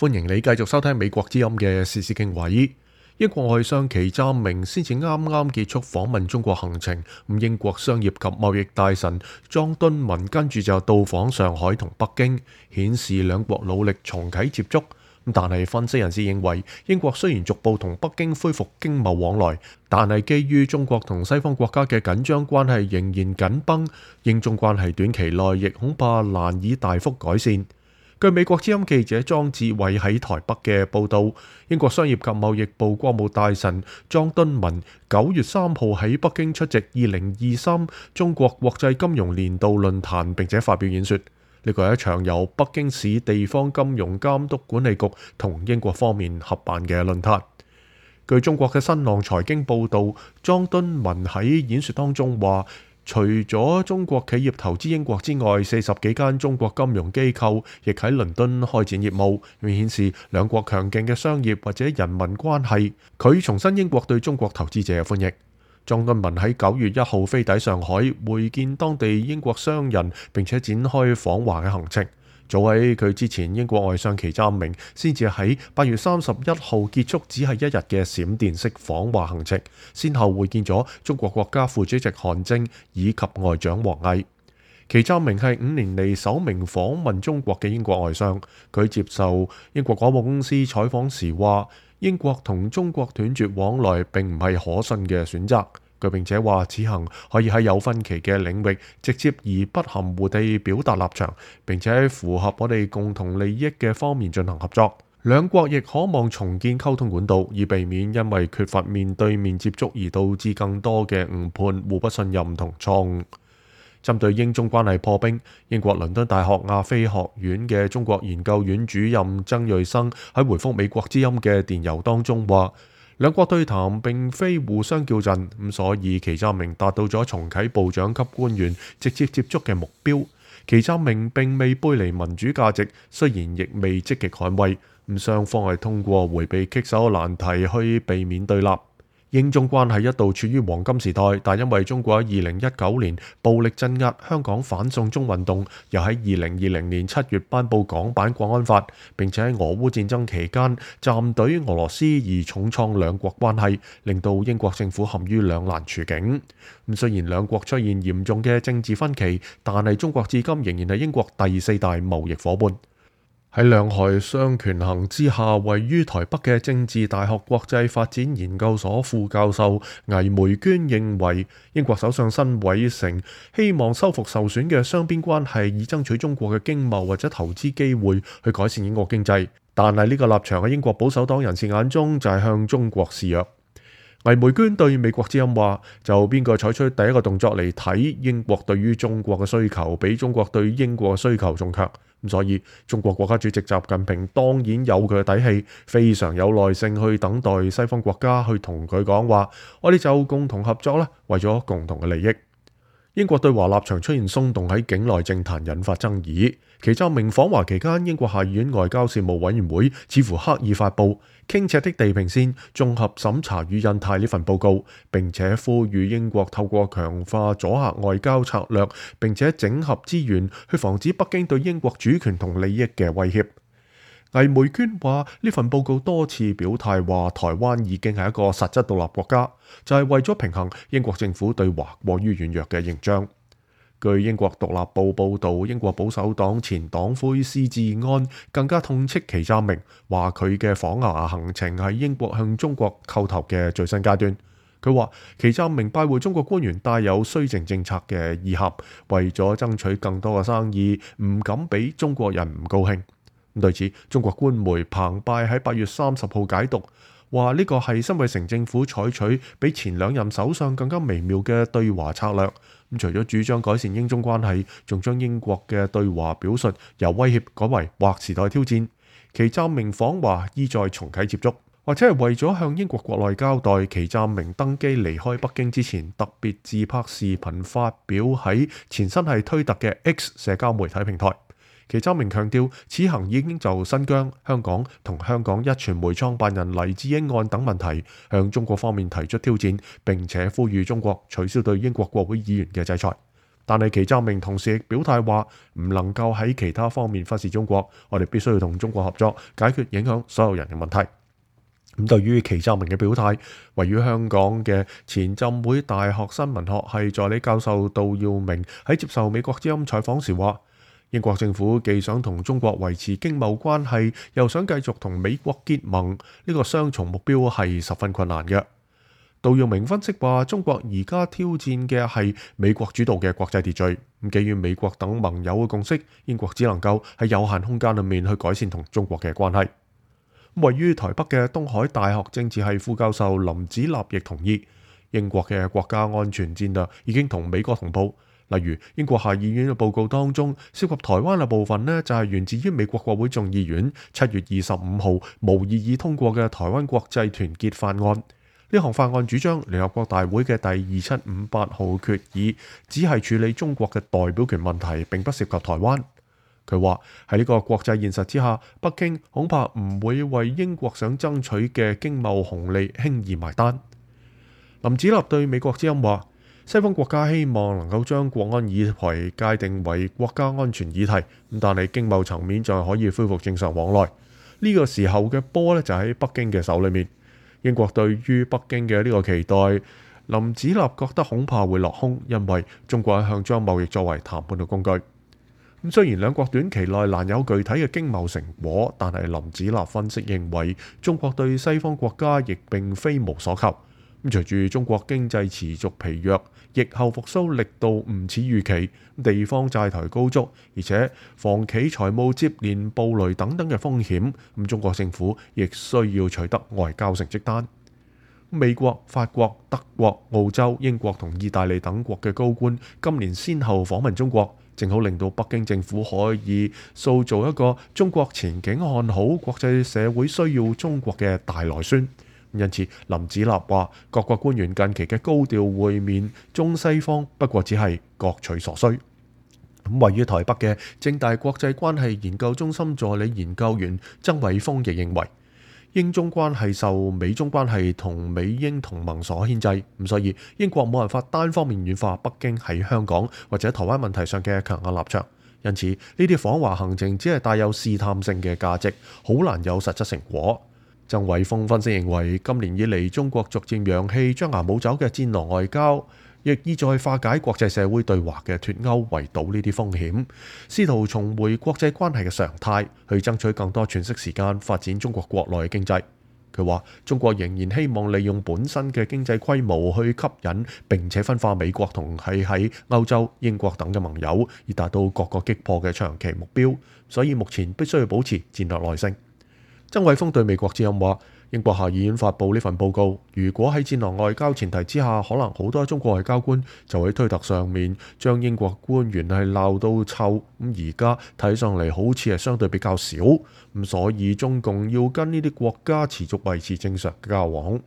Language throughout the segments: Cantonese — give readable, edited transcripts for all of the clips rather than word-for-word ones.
歡迎你繼續收聽美國之音嘅時事經緯。英國外相祁湛明先至啱啱結束訪問中國行程，英國商業及貿易大臣莊敦文跟住就到訪上海同北京，顯示兩國努力重啟接觸。但係分析人士認為，英國雖然逐步同北京恢復經貿往來，但係基於中國同西方國家嘅緊張關係仍然緊繃，英中關係短期內亦恐怕難以大幅改善。據美國之音記者莊志偉喺台北嘅報導，英國商業及貿易部國務大臣莊敦文9月3號喺北京出席2023中國國際金融年度論壇，並且發表演說。呢個係一場由北京市地方金融監督管理局同英國方面合辦嘅論壇。據中國嘅新浪財經報導，莊敦文喺演說當中話，除咗中國企業投資英國之外，40幾間中國金融機構亦喺倫敦開展業務，顯示兩國強勁嘅商業或者人民關係。佢重申英國對中國投資者嘅歡迎。莊敦文喺9月1號飛抵上海，會見當地英國商人，並且展開訪華嘅行程。早喺佢之前，英國外相祁湛明先至喺8月31號結束只係1日嘅閃電式訪華行程，先後會見咗中國國家副主席韓正以及外長王毅。祁湛明係5年嚟首名訪問中國嘅英國外相。佢接受英國廣播公司採訪時話，英國同中國斷絕往來並唔係可信嘅選擇。佢並且話，此行可以喺有分歧嘅領域直接而不含糊地表達立場，並且喺符合我哋共同利益嘅方面進行合作。兩國亦可望重建溝通管道，以避免因為缺乏面對面接觸而導致更多嘅誤判、互不信任同錯誤。針對英中關係破冰，英國倫敦大學亞非學院嘅中國研究院主任曾瑞生喺回覆美國之音嘅電郵當中話，兩國對談並非互相叫陣，所以祁湛明達到咗重啟部長級官員直接接觸嘅目標。祁湛明並未背離民主價值，雖然亦未積極捍衛，雙方係通過迴避棘手難題去避免對立。英中關係一度處於黃金時代，但因為中國喺2019年暴力鎮壓香港反送中運動，又喺2020年7月頒布港版國安法，並且喺俄烏戰爭期間站隊俄羅斯而重創兩國關係，令到英國政府陷於兩難處境。雖然兩國出現嚴重嘅政治分歧，但係中國至今仍然係英國第4大貿易夥伴。喺兩害相權衡之下，位於台北嘅政治大學國際發展研究所副教授倪梅娟認為，英國首相辛偉誠希望修復受損嘅雙邊關係，以爭取中國嘅經貿或者投資機會去改善英國經濟。但係呢個立場喺英國保守黨人士眼中就係向中國示弱。倪梅娟對美國之音話，就邊個採取第一個動作嚟睇，英國對於中國嘅需求比中國對英國嘅需求仲強。所以中國國家主席習近平當然有佢嘅底氣，非常有耐性去等待西方國家去同佢講話，我哋就共同合作啦，為咗共同嘅利益。英國對華立場出現鬆動，喺境內政壇引發爭議。祁湛明訪華期間，英國下議院外交事務委員會似乎刻意發布傾斜的地平線綜合審查與印太呢份報告，並且呼籲英國透過強化阻嚇外交策略，並且整合資源去防止北京對英國主權同利益嘅威脅。倪梅娟話，呢份報告多次表態話台灣已經係一個實質獨立國家，就係為咗平衡英國政府對華過於軟弱嘅形象。據英國獨立報報導，英國保守黨前黨魁施志安更加痛斥祁湛明，話佢嘅訪華行程係英國向中國叩頭嘅最新階段。佢話祁湛明拜會中國官員帶有綏靖政策嘅意涵，為咗爭取更多嘅生意，唔敢俾中國人唔高興。對此，中國官媒澎湃喺8月30號解讀，話呢個係辛偉誠政府採取比前2任首相更加微妙嘅對華策略。除咗主張改善英中關係，仲將英國嘅對華表述由威脅改為劃時代挑戰。祁湛明訪華意在重啟接觸，或者係為咗向英國國內交代。祁湛明登機離開北京之前，特別自拍視頻發表喺前身係推特嘅 X 社交媒體平台。祁湛明強調，此行已經就新疆、香港同香港壹傳媒創辦人黎智英案等問題向中國方面提出挑戰，並且呼籲中國取消對英國國會議員嘅制裁。但係祁湛明同時亦表態話，唔能夠喺其他方面忽視中國，我哋必須要同中國合作，解決影響所有人嘅問題。咁對於祁湛明嘅表態，位於香港嘅前浸會大學新聞學系助理教授杜耀明喺接受美國之音採訪時話，英國政府既想同中國維持經貿關係，又想繼續同美國結盟，呢個雙重目標係十分困難嘅。杜耀明分析話，中國而家挑戰嘅係美國主導嘅國際秩序，基於美國等盟友嘅共識，英國只能夠喺有限空間裏面去改善同中國嘅關係。位於台北嘅東海大學政治系副教授林子立亦同意，英國嘅國家安全戰略已經同美國同步。例如英國下議院嘅報告當中涉及台灣嘅部分呢，就係源自於美國國會眾議院7月25號無異議通過嘅台灣國際團結法案。呢項法案主張聯合國大會嘅第2758號決議只係處理中國嘅代表權問題，並不涉及台灣。佢話喺呢個國際現實之下，北京恐怕唔會為英國想爭取嘅經貿紅利輕易埋單。林子立對美國之音話，西方國家希望能夠將國安議題界定為國家安全議題，但係經貿層面就可以恢復正常往來。呢個時候嘅波呢，就喺北京嘅手裏面。英國對於北京嘅呢個期待，林子立覺得恐怕會落空，因為中國一向將貿易作為談判嘅工具。咁雖然兩國短期內難有具體嘅經貿成果，但係林子立分析認為，中國對西方國家亦並非無所求。咁隨住中國經濟持續疲弱，疫後復甦力度唔似預期，地方債台高築，而且房企財務接連暴雷等等嘅風險，咁中國政府亦需要取得外交成績單。美國、法國、德國、澳洲、英國同意大利等國嘅高官今年先後訪問中國，正好令到北京政府可以塑造一個中國前景看好、國際社會需要中國嘅大內宣。因此，林子立話，各國官員近期嘅高調會面，中西方不過只係各取所需。位於台北嘅政大國際關係研究中心助理研究員曾偉峰亦認為，英中關係受美中關係同美英同盟所牽制，所以英國冇辦法單方面軟化北京喺香港或者台灣問題上嘅強硬立場。因此，呢啲訪華行程只係帶有試探性嘅價值，好難有實質成果。曾偉峰分析認為，今年以嚟中國逐漸揚棄張牙舞爪嘅戰狼外交，亦意在化解國際社會對華嘅脫鈎，圍堵呢啲風險，試圖重回國際關係嘅常態，去爭取更多喘息時間發展中國國內嘅經濟。佢話：中國仍然希望利用本身嘅經濟規模去吸引並且分化美國同喺歐洲、英國等嘅盟友，以達到各個擊破嘅長期目標。所以目前必須要保持戰略耐性。曾偉峰對美國之音話：英國下議院發布呢份報告，如果喺戰狼外交前提之下，可能好多中國外交官就喺推特上面將英國官員係鬧到臭。咁而家睇上嚟好似係相對比較少，咁所以中共要跟呢啲國家持續維持正常嘅交往。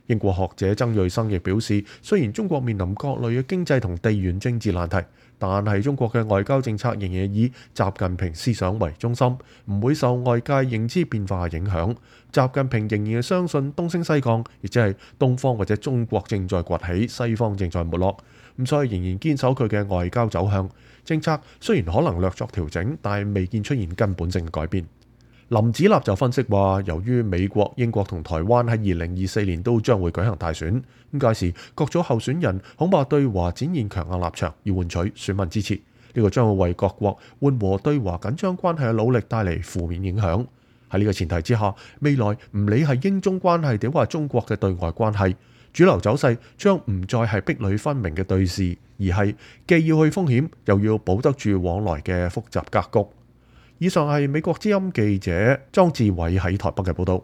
英國學者曾瑞生亦表示，雖然中國面臨各類嘅經濟同地緣政治難題，但係中國嘅外交政策仍然以習近平思想為中心，唔會受外界認知變化影響。習近平仍然係相信東升西降，亦即係東方或者中國正在崛起，西方正在沒落。咁所以仍然堅守佢嘅外交走向，政策雖然可能略作調整，但係未見出現根本性嘅改變。林子立就分析話，由於美國、英國同台灣喺2024年都將會舉行大選，咁屆時各組候選人恐怕對華展現強硬立場，要換取選民支持。呢個將會為各國緩和對華緊張關係嘅努力帶嚟負面影響。喺呢個前提之下，未來唔理係英中關係定話中國嘅對外關係，主流走勢將唔再係壁壘分明嘅對峙，而係既要去風險，又要保得住往來嘅複雜格局。以上係美國之音記者莊志偉喺台北嘅報道。